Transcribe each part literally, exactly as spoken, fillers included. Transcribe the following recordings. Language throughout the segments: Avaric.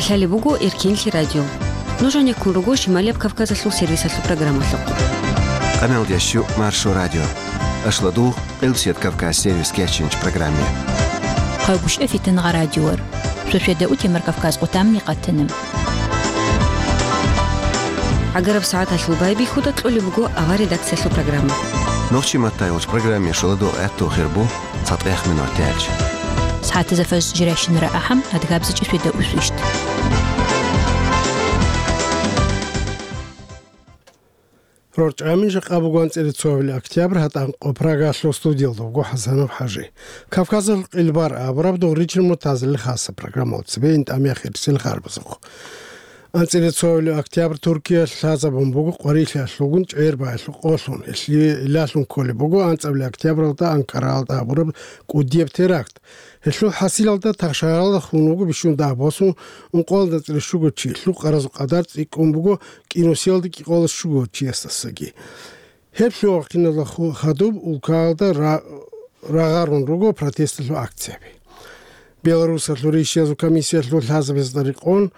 Лъалеб буго Эркенлъи радио. Нуж гьанеккун руго Шималияб Кавказалъул сервисалъул программалъухъ. Къамел ящу Маршо радио. Ашладу Къилсият Кавказ сервис кечинч программе. Хъагушев Фитнагъа радиор. Шошеда утемар Кавказ къутамни къатанам. Агараб сагӀаталъул байбихьуда кьолеб буго авар редакциялъул программа. Нохчи маттай уч программе шоладу гӀатту хирбу цатӀех минут тялч. СагӀатаза фаз жирайщинара ахӀам адгабзичӀи шведа усвищт. РорчӀамин жакъа бугван цӀере цоабилеб октябрь гьатӀанкъо Прагалъул студиялда вуго ХӀасанов ХӀажи. Кавказалъул къилбар абураб дугъричил муртазилил хасаб программал цебе интӀамияхирсил харбазухъ. АнцӀила цоабилеб октябрь Туркиялъ лъазабун буго къварилъиялъулгун чӀегӀер баялъул къолъун. Гьелъие илалъун кколеб буго анцӀабилеб октябралда Анкараялда гьабураб кӀудияб теракт. Гьелъул хӀасилалда тахшагьаралда хун вуго бищун дагь босун, ункъоялда анцӀила щуго чи, лъукъаразул къадар цӀикӀкӀун буго кӀинусиялда кӀикъоялда щуго чиясдасаги. Гьеб лъугьа-хъиналда ху-, хадуб улкаялда ра-, рагъарун руго протесталъул акцияби. Беларусалъул ришиязул комиссиялъул лъазабазда рекъон,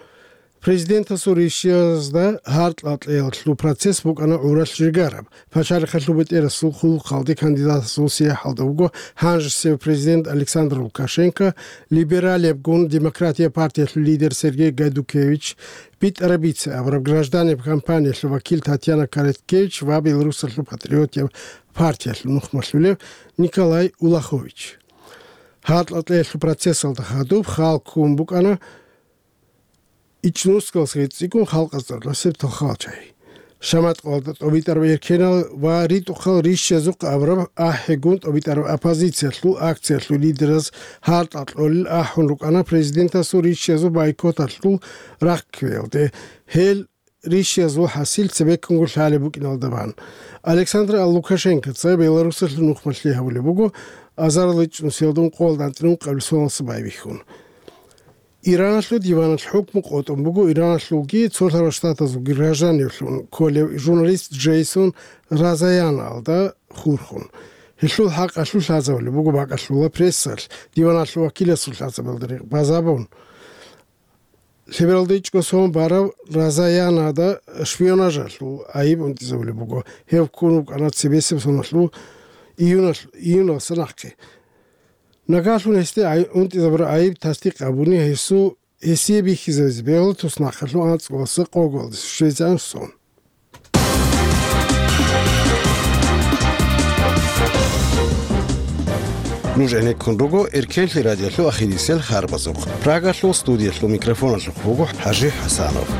президентасул ришиязда гьаркьа-кьеялъул процесс букӀана гӀуралъ жигараб. Пачалихъалъул бетӀерасул хъулухъалде кандидатасул сияхӀалда вуго гьанжесев президент Александр Лукашенко, либералиябгун Демократия партиялъул лидер Сергей Гайдукевич, БитӀараб бице абураб гражданиб кампаниялъул вакил Татьяна Короткевич ва Беларусалъул патриотияб партиялъул нухмалъулев Николай Улахович. Гьаркьа-кьеялъул процессалда хадуб хал ккун букӀана ичӀнусгалъги цӀикӀкӀун халкъалъ цӀакъ нусиб тохалчагӀи. Шаматкъалда тӀобитӀараб эркенал ва ритӀухъал ришшазухъ абураб ахӀигун тӀобитӀараб оппозициялъул акциялъул лидераз гьаркьа кьолел ахӀун рукӀана президентасул ришшазул бойкоталъул рахъ кквеялде. Гьел ришшазул хӀасил цебеккунго лъалеб букӀиналда бан. Александр Лукашенкоца Беларусалъул нухмалъи гьабулеб буго азарилда ичӀнусиялда ункъоялда анцӀила ункъабилеб соналъ байбихьун. Ираналъул диваналъ хӀукму къотӀун буго Ираналъулги цолъарал штатазулги гражданивлъун кколев журналист Джейсон Розанаялда хурхун. Гьелъул хӀакъалъулъ лъазабулеб буго бакӀалъула прессалъ диваналъул вакиласул лъазабиялда рекъ базабун. Лъебералда ичӀго сон барав Розанаялда шпионажалъул айиб унтӀизабулеб буго. Гьев ккун вукӀана цебесеб соналъул июналъ-, июналдаса нахъе. Нагагьлъун гьесде ай-, унтӀизабураб айиб тасдикъ гьабуни, гьесул, гьесие бихьизабизе бегьула туснахъалъул анцӀгоялдаса къоялдаса щвезегӀан сон. Нуж гӀенеккун руго Эркенлъи радиолъул ахирисел харбазухъ. Прагалъул студиялъул микрофоналъухъ буго ХӀажи ХӀасанов.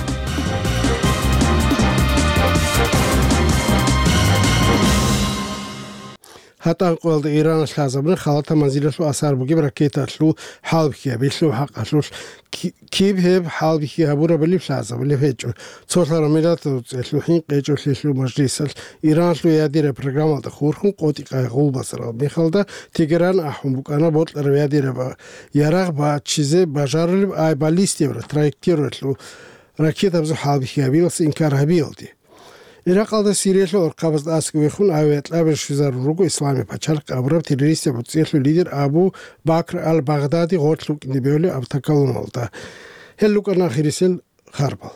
ГьатӀан къоялда Иран лъазабуна халатаб манзилалъул асар бугеб ракеталъул хӀалбихьи гьабиялъул хӀакъалъулъ. Ки-, киб гьеб хӀалбихьи гьабурабали лъазабулеб гьечӀо. Цолъарал Миллатазул ЦӀелъул хӀинкъи гьечӀолъиялъул мажлисалъ Иранлъул ядераб программалда хурхун къотӀи-къайгъул базарал мехалда Тегеран ахӀун букӀана бокьараб ядераб ярагъ бачизе бажарулеб ай баллистияб траекториялъул ракетабазул хӀалбихьи гьабиялъе инкар гьабиялде. Иракъалда Сириялъул архъабазда аскӀовехун авиакьабил щвезарун руго Исламияб пачалихъ абураб террористияб гӀуцӀиялъул лидер Абу Бакр ал-Багъдади гъорлъ вукӀине бегьулеб автоколонналда. Гьел рукӀана ахирисел харбал.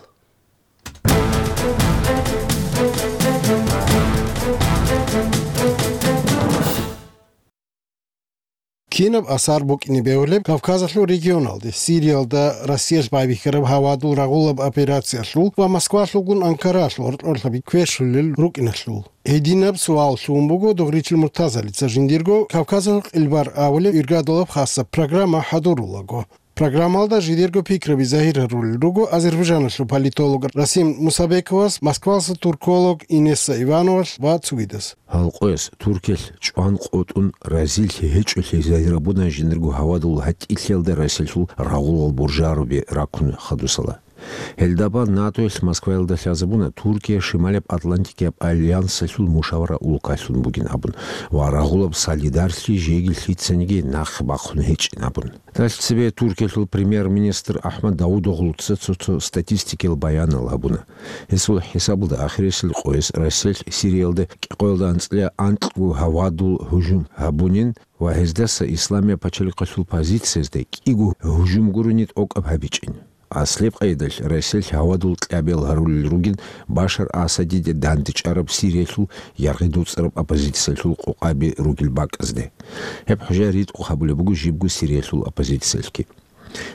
Кинаб асар букӀине бегьулеб Кавказалъул регионалде, Сириялда Россиялъ байбихьараб гьавадул рагъулаб операциялъул ва Москвалъулгун Анкаралъ гьоркьорлъаби квешлъулел рукӀиналъул? Гьединаб суал лъугьун буго дугъричил муртазалица жиндирго Кавказалъул къилбар абулеб иргадулаб хасаб программа хӀадурулаго. Программалда жидерго пикраби загьир гьарулел руго Азербайжаналъул политолог Расим Мусабековас, Москвалъа турколог Инесса Ивановалъ ва цогидас. Гьал къояс Туркиялъ чӀван къотӀун разилъи гьечӀолъи загьир абуна жиндирго гьавадул гьатӀилъиялда Россиялъул рагъулал буржаруби раккун хадусала. Гьелдабан НАТОялъ Москваялда лъазабуна Туркия Шималияб Атлантикияб альянсалъул мушавара улкалъун бугин абун ва рагъулаб солидарлъи жеги лъицаниги нахъ бахъун гьечӀин абун. Далъ цебе Туркиялъул премьер-министр Ахмад Давудоглуца цо-цо статистикиял баянал гьабуна. Гьесул хӀисабалда ахирисел къояс Россиялъ Сириялда кӀикъоялда анцӀила анкьго гьавадул гьужум гьабунин ва гьездаса Исламияб пачалихъалъул позициязда кӀиго гьужум гурони тӀокӀаб гьабичӀин. Аслияб къайдалъ Россиялъ гьавадул кьабиял гьарулел ругин Башар Асадиде дандчӀараб Сириялъул яргъи доцӀараб оппозициялъул къокъаби ругел бакӀазде. Гьеб хӀужа ритӀухъ гьабулеб буго жибго Сириялъул оппозициялъги.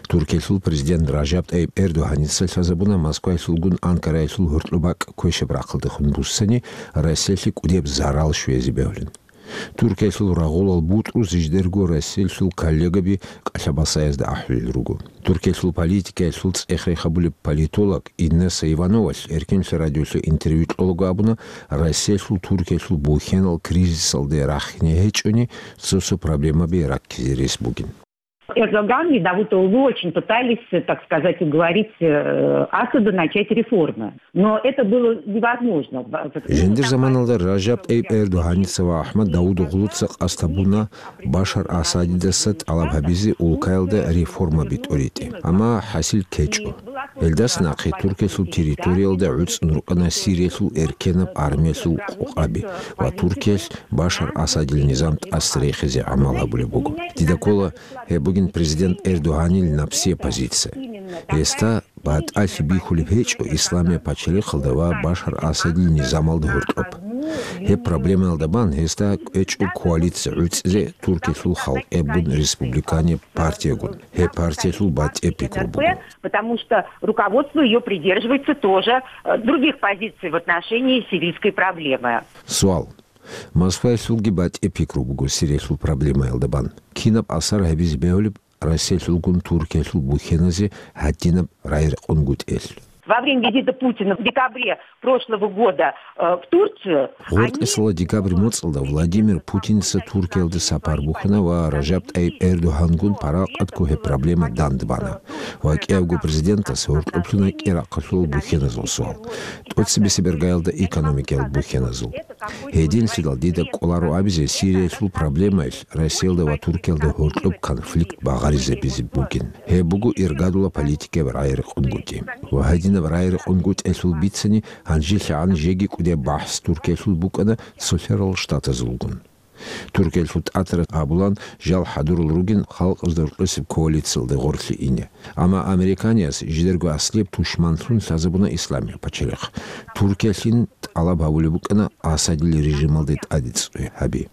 Туркиялъул президент Ражаб ТӀайиб Эрдогьаница лъазабуна Москваялъулгун Анкараялъул гьоркьоб бакӀ квешаб-рахъалдехун буссани Россиялъе кӀудияб зарал щвезе бегьулин. Туркиялъул рагъулал бутӀрул жидерго Россиялъул коллегаби кӀалъабасаязда ахӀулел руго. Туркиялъул политикаялъул цӀех-рех гьабулеб политолог Инесса Ивановалъ Эркенлъи радиолъе интервью кьолаго абуна, Россиялъул Туркиялъул бухьенал кризисалде рахине гьечӀони, цо-цо проблемаби раккизе рес бугин. Эрдоган и Давутоглу очень пытались, так сказать, уговорить э, Асада начать реформы. Но это было невозможно. Жиндир заманалда Ражаб ТӀайиб Эрдогьаница ва АхӀмад Давутоглуца къасд гьабуна Башар Асадидаса тӀалаб гьабизе улкаялда реформаби тӀоритӀе. Амма хӀасил ккечӀо. Гьелдаса нахъе Туркиялъул территориялда гӀуцӀун рукӀана Сириялъул эркенаб армиялъул къокъаби ва Туркиялъ Башар Асадил низам тӀаса рехизе гӀамал гьабулеб буго. Дида ккола, гьеб бугин президент Эрдогьанил напсияб позиция. Гьесда батӀалъи бихьулеб гьечӀо исламияб пачалихъалда ва Башар Асадил низамалда гьоркьоб. Гьеб проблемаялда бан гьесда кӀвечӀо коалиция гӀуцӀизе Туркиялъул халкъиябгун республиканияб партиягун. Гьеб партиялъул батӀияб пикру буго. Потому что руководство её придерживается тоже э, других позиций в отношении сирийской проблемы. Суал. Москваялъулги батӀияб пикру буго Сириялъул проблемаялда бан. Кинаб асар гьабизе бегьулеб Россиялъулгун Туркиялъул бухьеназе гьадинаб рагӀи-рекъонгутӀиялъ? Во время визита Путина в декабре прошлого года э, в Турцию, они... Гъоркьесала декабрь моцӀалда Владимир Путинца Туркиялде сапар бухьана ва Ражаб ТӀайиб Эрдогьангун паракъатго гьеб проблема дандбана ва кӀиябго президентас гьоркьоблъуна кӀирахъалъул бухьеназул суал, тӀоцебесеб иргаялда экономикаял бухьеназул. Гьединлъидал дида кӀоларо абизе, Сириялъул проблемаялъ Россиялда ва Туркиялда гьоркьоб конфликт багъаризабизе бугин. Гьеб буго иргадула политикаяб рагӀи-рекъонгутӀи. Ва гьадинаб рагӀи-рекъонгутӀиялъул бицани, гьанжелъагӀан жеги кӀудияб бахӀс Туркиялъул букӀана Цолъарал Штатазулгун. Туркиялъул тӀатарас абулан, жал хӀадурал ругин халкъазда рокьисеб коалициялде гъорлъе ине. Амма американиялъ жидерго аслияб тушманлъун лъазабуна исламияб пачалихъ. Туркиялъин тӀалаб гьабулеб букӀана Асадил режималде тӀаде цӀуй гьаби.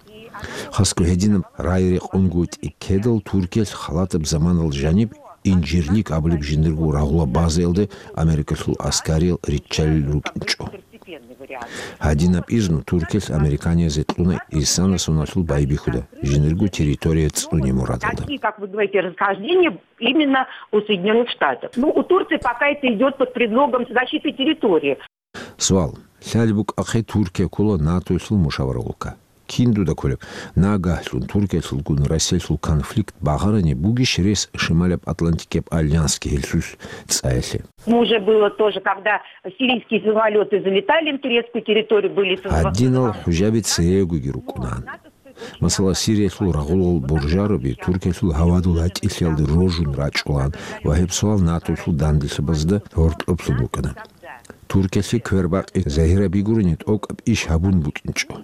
Хасго гьединаб рагӀи-рекъонгутӀи ккедал Туркиялъ халатаб заманалда жаниб Инжирлик абулеб жиндирго рагъула базаялде Америкалъул аскариял риччалел рукӀинчӀо. Гьадинаб изну Туркиялъ американиязде кьуна Исана соналъул байбихьуда, жиндирго территория цӀуне мурадалда. Такие, как вы говорите, расхождения именно у Соединённых Штатов. Ну, у Турции пока это идёт под предлогом защиты территории. Суал. Лъалеб букӀахъе Туркия ккола НАТОялъул мушаваралъулка. Кин дуда кколеб? Нагагьлъун Туркиялъулгун Россиялъул конфликт багъарани бугищ рес Шималаб Атлантикияб альянсги гьелъулъ цӀаялъе? Ну, уже было тоже, когда сирийские самолёты залетали на турецкую территорию, были... Гьадинал хӀужаби церегоги рукӀунаан. Масала, Сириялъул рагъулал буржароби Туркиялъул гьавадул гьатӀилъиялде рожун рачӀулаан ва гьеб суал НАТОялъул данделъабазда гьоркьоблъун букӀана. Туркиялъе квербакъи загьираб бигурани тӀокӀаб иш гьабун букӀинчӀо.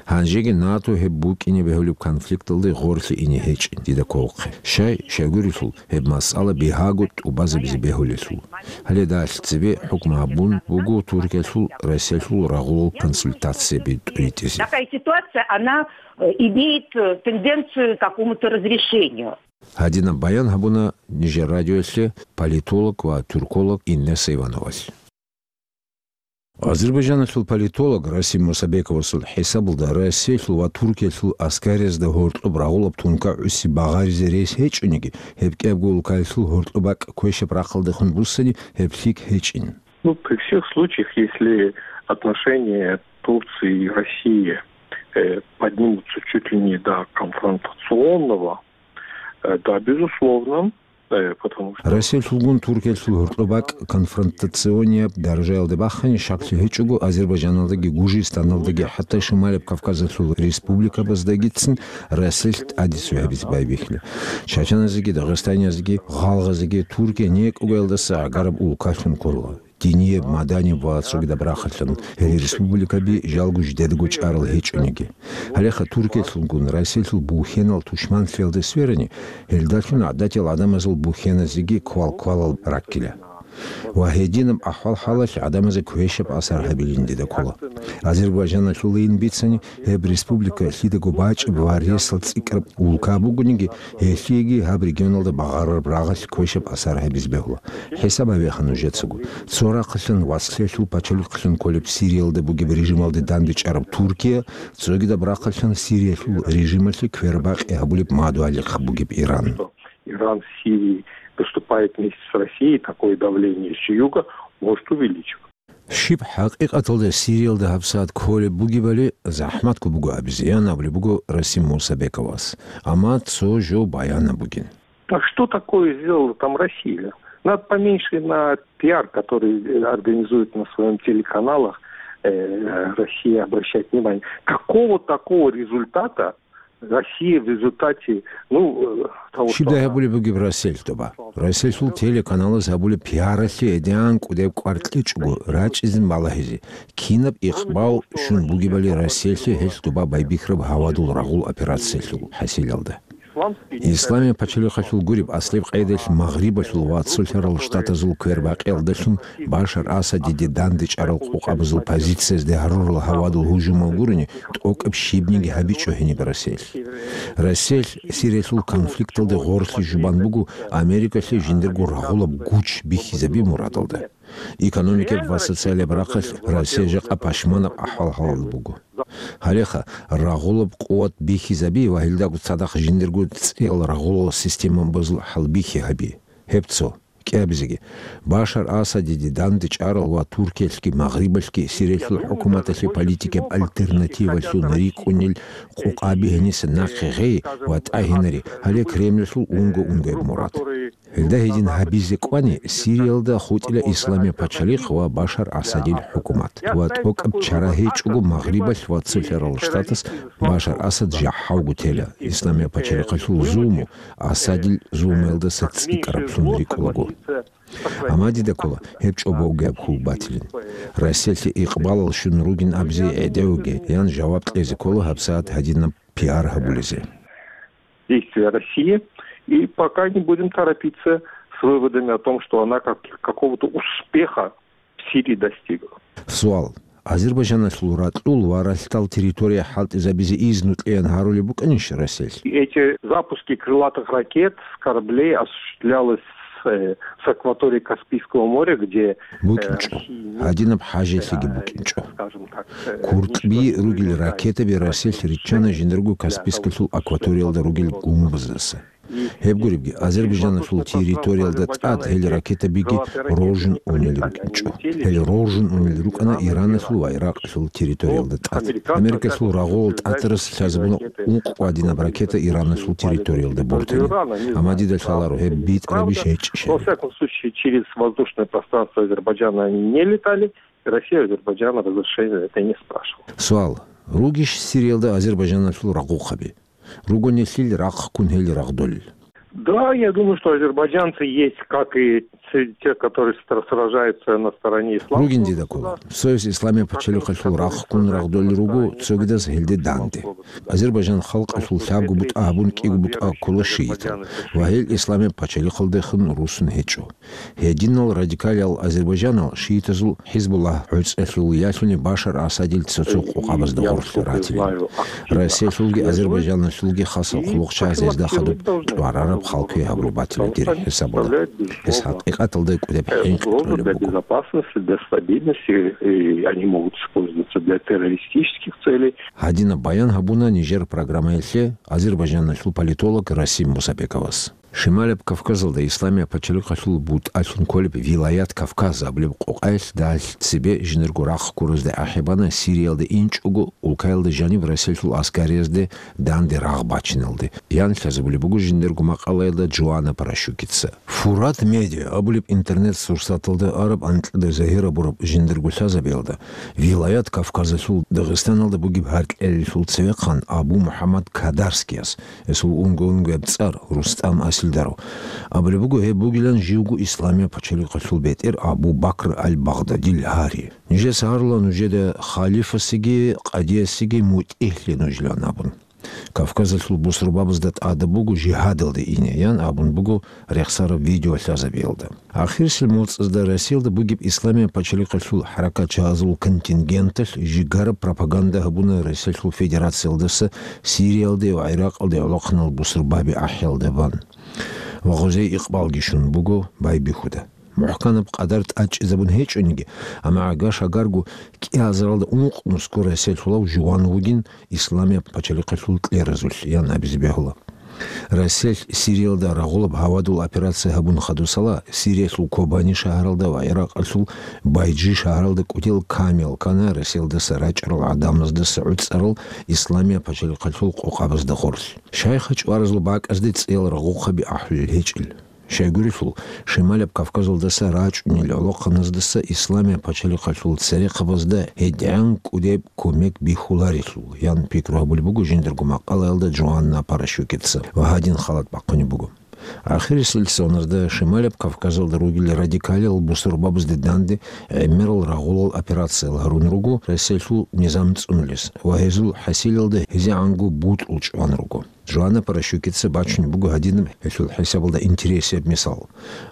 Гьанжеги НАТО гьеб букӀине бегьулеб конфликталде гъорлъе ине гьечӀин дида кколхъе. Щай, щайгурелъул, гьеб масъала бигьаго тӀубазабизе бегьулелъул. Гьале далъ цебе хӀукму гьабун буго Туркиялъул Россиялъул рагъулал консультацияби тӀуритӀизе. Такая ситуация, она э, имеет э, тенденцию к какому-то разрешению. Гьадинаб баян гьабуна нижер радиоялъе политолог ва тюрколог Инесса Ивановалъ. Азербайджаналъул политолог Расим Мусабековасул хӀисабалда, Россиялъул ва Туркиялъул аскариязда гьоркьоб рагъулаб тункагӀуси багъаризе рес гьечӀониги, гьеб кӀиябго улкаялъул гьоркьоб бакӀ квешаб-рахъалдехун буссани, гьеб лъикӀ гьечӀин. Ну, при всех случаях, если отношения Турции и России э, поднимутся чуть ли не до конфронтационного, э, да, безусловно, э, потому что... Россиялъулгун Туркиялъул гьоркьоб бакӀ конфронтационияб даражаялде бахъани, щаклъи гьечӀого, Азербайджаналдаги Гужистаналдаги, хӀатта Шималаб Кавказалъул республикабаздагицин Россиялъ тӀаде цӀуй гьабизе байбихьила. Чачаназеги, дагъистаниязеги, гъалгъазеги Туркия некӀугаялдаса гӀагараб улкалъун ккола. динияб, маданияб ва цогидаб рахъалъан гьел республикаби жалго жидедаго чӀарал гьечӀониги. Гьалеха Туркиялъулгун Россиялъул бухьенал тушманлъиялда сверани, гьелдалъун гӀадатиял гӀадамазул бухьеназеги квал-квалал раккила. Ва гьединаб ахӀвал-хӀалалъ гӀадамазе квешаб асар гьабилин дида ккола. Азербайжаналъулайин бицани, гьеб республика лъидаго бачӀеб ва ресал цӀикӀкӀараб улка бугониги, гьелъиеги гьаб регионалда багъарараб рагъалъ квешаб асар гьабизе бегьула. ХӀисаб гьабеха нужецаго. Цо рахъалъан вацлъиялъул пачалихълъун кколеб Сириялда бугеб режималде дандечӀараб Туркия, цогидаб рахъалъан Сириялъул режималъе квербакъи гьабулеб мадугьалихъ бугеб Иран. Иран в Сирии выступает вместе с Россией, такое давление с юга может увеличиваться. Щиб хӀакъикъаталда Сириялда гьабсагӀат кколеб бугебали захӀматго буго абизе, ян абулеб буго Расим Мусабековас. Амма цо жо баянаб бугин. А что такое сделала там Россия? Надо поменьше на пиар, который организует на своем телеканалах, э, Россия, обращать внимание. Какого такого результата Россия в результате, ну, э, того, что Щибдай она гьабулеб бугеб Россиялъ тоба? Россиялъул телеканалаз гьабулеб пиаралъе гӀедегӀан кӀудеб кӀвар кьечӀого рачӀизин балагьизе, кинаб икъбал щун бугебали Россиялъе гьелъ тоба байбихьараб гьавадул рагъул операциялъул хӀасилалда. Исламияб пачалихъалъул гуреб аслеб къайдалъ Магърибалъул ва Цолъарал Штатазул квербакъиялдалъун Башар Асадиде дандечӀарал къокъабазул позициязде гьарурал гьавадул гьужумал гурони, тӀокӀаб щибниги гьабичӀо гьениб Россиялъ. Россиялъ Сириялъул конфликталде гъорлъи жубан буго Америкалъе жиндирго рагъулаб гуч бихьизаби мурадалда. Экономикаб ва социалияб рахъалъ Россия жакъа пашманаб ахӀвал-хӀалалда буго. Гьалеха, рагъулаб къуват бихьизаби ва гьелдаго цадахъ жиндирго цӀиял рагъулал системабазул хӀалбихьи гьаби. Гьеб цо. КӀиабизеги, Башар Асадиде дандечӀарал ва Туркиялъги Магърибалъги Сириялъул хӀукуматалъе политикаб альтернативалъун рикӀкӀунел къокъаби гьениса нахъе гъей ва тӀагьинари, гьале Кремльалъул унго-унгояб мурад. Гьелда гьедин гьабизе кӀвани, Сириялда хутӀила Исламияб пачалихъ ва Башар Асадил хӀукумат ва тӀокӀаб чара гьечӀого Магърибалъ ва Цолъарал Штатас Башар Асад жахӀалго тела, Исламияб пачалихъалъул зулму Асадил зулмуялдаса цӀикӀкӀараблъун рикӀкӀулаго. Амма дида ккола, гьеб чӀобогияб хьул батилин. Россиялъе икъбалал щун ругин абизе гӀедегӀуге, ян жаваб кьезе ккола гьабсагӀат гьадинаб пиар гьабулезе. Действия России, и пока не будем торопиться с выводами о том, что она как-, какого-то успеха в Сирии достигла. Суал. Азербайжаналъул ракьул ва ралъдал территория хӀалтӀизабизе изну кьеян гьарулеб букӀанищ Россиялъ? Эти запуски крылатых ракет с кораблей осуществлялось, э, с акватории Каспийского моря, где, э, БукӀинчӀо. Россия не Гьадинаб хӀажалъиги э, букӀинчӀо. Скажем так, э, КуртӀби ничего ругел не ракетаби Россиялъ риччана жиндирго Каспийскалъул акваториялда ругел гумбаздаса. Гьеб гуребги, Азербайжаналъул территориялда тӀад гьел ракетабиги роржун унел рукӀинчӀо. Гьел роржун унел рукӀана Ираналъул ва Иракъалъул территориялда тӀад. Америкалъул рагъул тӀатарас лъазабуна ункъ гьадинаб ракета Ираналъул территориялда бортани. Амма дида лъаларо гьеб битӀарабищ гьечӀищали. Во всяком случае, через воздушное пространство Азербайджана они не летали, и Россия Азербайджана разрешения это не спрашивала. Суал. Ругищ Сириялда Азербайжаналъул рагъухъаби? Руго нилъил рахъ ккун гьел рагъдолел. Да, я думаю, что азербайджанцы есть, как и те, те, которые стра-, сражаются на стороне исламского Ругин дида ккола. государства. Цояс Исламияб пачалихъалъул рахъ ккун рагъдолел руго, цогидаз гьелде данде. Азербайджан халкъалъул лъабго бутӀа гьабун кӀиго бутӀа ккола шиитал, ва гьел Исламияб пачалихъалдехун руссун гьечӀо. Гьединал радикалиял азербайджанал шиитазул ХӀизбуллагь гӀуцӀалъул ялъуни Башар Асадил цо-цо къокъабазда гъорлъ ратилин. Россиялъулги Азербайджаналъулги хасал хъулухъчагӀаз гьезда хадуб тӀварараб хал квегьабулеб батила дир хӀисабалда. Гьес хӀакъикъаталда кӀудеб хӀинкъи кьолеб буго. Для безопасности, для стабильности, и они могут использоваться для террористических целей. Гьадинаб баян гьабуна нижер программаялъе Азербайджаналъул политолог Расим Мусабековас. Шималаб Кавказалда Исламияб пачалихъалъул бутӀалъун кколеб Вилаят Кавказ абулеб къокъаялъ дагьалъ цебе жиндирго рахъ ккуразде ахӀи бана Сириялда инчӀого улкаялда жаниб Россиялъул аскариязде данде рагъ бачиналде, ян лъазабулеб буго жиндирго макъалаялда Джоанна Паращукица. Фурат Медиа абулеб интернет-сурсаталда араб анкьида загьир абураб жиндирго лъазабиялда, Вилаят Кавказалъул Дагъистаналда бугеб гьаркьелалъул цевехъан Абу МухӀаммад Кадарскияс, гьесул унго-унгояб цӀар Рустам хӀалтӀилдаро. Абулеб буго, гьеб бугилан живго Исламияб пачалихъалъул бетӀер Абу Бакр аль-Багъдадил гьари. Нижеца гьарула нужеда халифасеги къадиясеги мутӀигьлъи нужилан абун. Кавказалъул бусурбабазда тӀада буго жигьадалде ине, ян абун буго рехсараб видеолъазабиялда. Ахирисел моцӀазда Россиялда бугеб Исламияб пачалихъалъул хӀаракатчагьазул контингенталъ жигараб пропаганда гьабуна Россиялъул Федерациялдаса Сириялде ва ГӀиракъалде гӀолохъанал бусурбаби ахӀиялда бан. Ва гъозей икъбалги щун буго байбихьуда. МухӀканаб къадар тӀадчӀезабун гьечӀониги, амма гӀага-шагарго кӀиазаралда ункънусго Россиялъулав жуван вугин Исламияб пачалихъалъул кьеразулъ, ян абизе бегьула. Россиялъ Сириялда рагъулаб гьавадул операция гьабун хадусала, Сириялъул Кобани шагьаралда ва ГӀиракъалъул Байджи шагьаралда кӀудиял камел ккана Россиялдаса рачӀарал гӀадамаздаса гӀуцӀарал Исламияб пачалихъалъул къокъабазда гъорлъ. Шайха чӀваразул бакӀазде цӀиял рагъухъаби ахӀулел гьечӀел. Щайгурелъул, Шималияб Кавказалдаса рачӀунел гӀолохъаназдаса Исламияб пачалихъалъул церехъабазда гьедигӀан кӀудеб кумек бихьуларелъул, ян пикру гьабулеб буго жиндирго макъалаялда Джоанна Паращукица ва гьадин халат бахъунеб буго. Ахирисел соназда Шималияб Кавказалда ругел радикалиял бусурбабазде данде гӀемерал рагъулал операциял гьарун руго Россиялъул низам цӀунулес ва гьезул хӀасилалда гьезегӀанго бутӀрул чӀван руго. Джоанна Паращукица бачунеб буго гьадинаб гьелъул хӀисабалда интересияб мисал.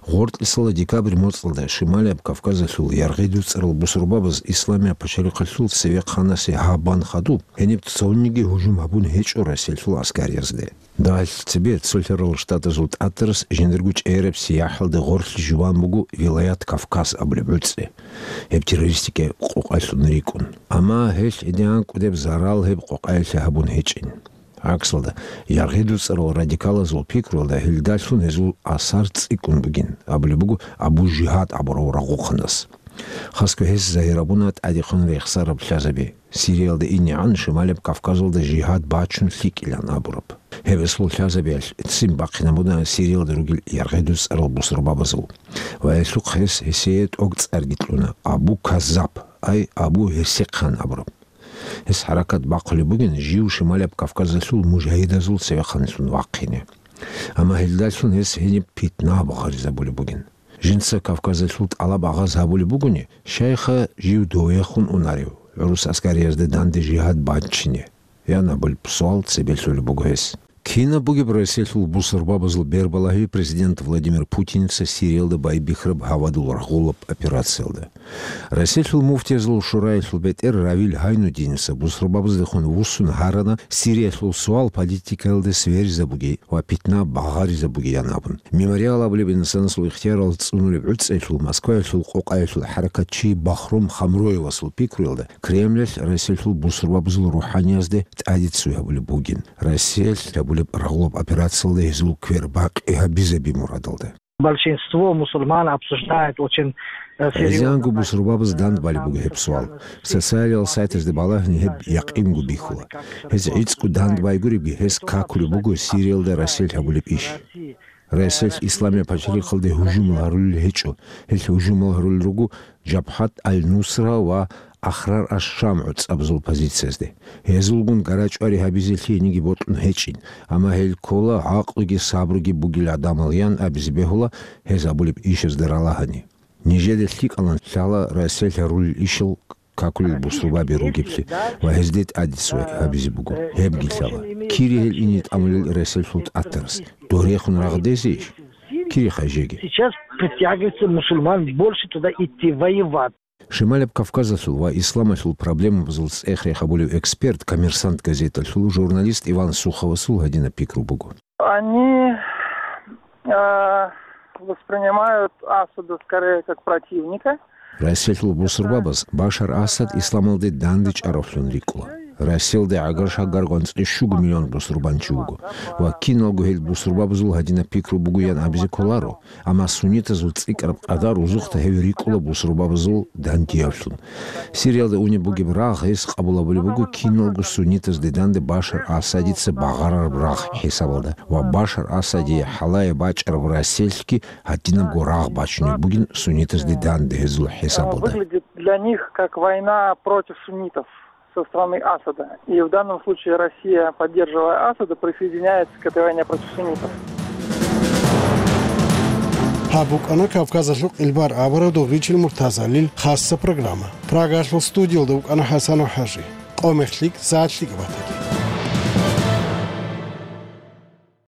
Гъоркьисала декабрь моцӀалда Шималияб Кавказалъул яргъи дуцӀарал бусурбабаз Исламияб пачалихъалъул цевехъанасе гьаб бан хадуб, гьениб цониги гьужум гьабун гьечӀо Россиялъул аскариязде. Дагьалъ цебе Цолъарал Штатазул тӀатарас жиндирго чӀегӀераб сияхӀалда гъорлъ жуван буго Вилаят Кавказ абулеб гӀуцӀи, гьеб террористикаяб къокъалъун рикӀкӀун. Амма гьелъ гьедигӀан кӀудеб зарал гьеб къокъаялъе гьабун гьечӀин. ГӀаксалда, яргъи дуцӀарал радикалазул пикруялда гьелдалъун гьезул асар цӀикӀкӀун бугин, абулеб буго Абу Жигьад абурав рагъухъанас. Хасго гьес загьир гьабуна тӀадехун рехсараб лъазаби. Сириялда инегӀан Шималияб Кавказалда жигьад бачун лъикӀилан абураб. Гьеб эсул лъазабиялъ ццин бахъинабуна Сириялда ругел яргъи дуцӀарал бусурбабазул. Ва гьелъухъ гьес гьесие тӀогцӀарги кьуна, Абу Каззаб, ай Абу Гьесихъан абураб. Гьес хӀаракат бахъулеб бугин жив Шималияб Кавказалъул мужагьидазул цевехъанлъун вахъине. Амма гьелдалъун гьес гьениб питна багъаризабулеб бугин. Жинца Кавказалъул тӀалаб агъаз гьабулеб бугони, шайха жив довехун унарев, гӀурус аскариязда данде жигьад бачине? Ян абулеб суал цебе лъолеб буго гьес. Кинаб бугеб Россиялъул бусурбабазул бербалагьи президент Владимир Путинца Сириялда байбихьараб гьавадул рагъулаб операциялда? Россиялъул муфтиязул шураялъул бетӀер Равил Гьайнуддиница бусурбабаздехун вуссун гьарана Сириялъул суал политикаялда сверизабуги ва питна багъаризабугиян абун. Мемориал абулеб инсанасул ихтиярал цӀунулеб гӀуцӀиялъул Москваялъул къокъаялъул хӀаракатчи Бахром Хамроевасул пикруялда, Кремлалъ Россиялъул бусурбабазул рухӀаниязде тӀадиццуй гьабулеб бугин, Россиялъ гьабулеб рагъулаб операциялда гьезул квер бакъи гьабизаби мурадалда. Большинство мусульман обсуждает очень, э, серьёзно. ГӀезегӀанго бусурбабаз дандбалеб буго гьеб суал. Социалиял сайтазда балагьани гьеб якъинго бихьула. Гьез гӀицӀго дандбайгуребги, гьес какулеб буго Сириялда Россиялъ гьабулеб иш. Россиялъ Исламияб пачалихъалде гьужумал гьарулел гьечӀо. Гьелъ гьужумал гьарулел руго Жабхат аль-Нусра ва Ахрар аш-Шам гӀуцӀабазул позициязде. Гьезулгун гарачӀвари гьабизе лъиениги бокьун гьечӀин, амма гьел ккола гӀакълуги сабруги бугел гӀадамал, ян абизе бегьула гьез гьабулеб ишазда ралагьани. Нижеда лъикӀалан лъала Россиялъ гьарулел ишал какулел бусурбаби ругеблъи ва гьезде тӀадиццуй гьабизе буго. Гьебги лъала. Кири гьел ине тӀамулел Россиялъул тӀатарас? Дорехун рагъдезейищ? Кири хъайжеги. Сейчас притягивается мусульман больше туда идти воевать. Шималаб Кавказалъул ва исламалъул проблемабазул цӀех рехабулев эксперт «Коммерсант» газеталъул журналист Иван Суховасул гьадинаб пикру буго. Они, э, воспринимают Асада скорее как противника. Россиялъул бусурбабаз Башар Асад исламалде дандечӀаравлъун рикӀкӀула. Россиялда гӀагар-шагар гъанцӀи щуго миллион бусурбанчи вуго ва киналго гьел бусурбабазул гьадинаб пикру бугоян абизе кколаро. Амма суннитазул цӀикӀкӀараб къадар узухъда гьев рикӀкӀула бусурбабазул дандиявлъун. Сириялда унеб бугеб рагъ гьес къабул гьабулеб буго киналго суннитазде данде Башар Асадица багъарараб рагъ хӀисабалда ва Башар Асадие хӀалае бачӀараб Россиялъги гьадинабго рагъ бачунеб бугин суннитазде данде гьезул хӀисабалда. Выглядит для них как война против суннитов со стороны Асада. И в данном случае Россия, поддерживая Асада, присоединяется к этой войне против суннитов. Гьаб букӀана Кавказалъул къилбар абураб Дугъричил Муртазалил хасса программа. Прагалъул студиялда вукӀана ХӀасанов ХӀажи. Къо-мех лъикӀ, сагӀат лъикӀ батаги.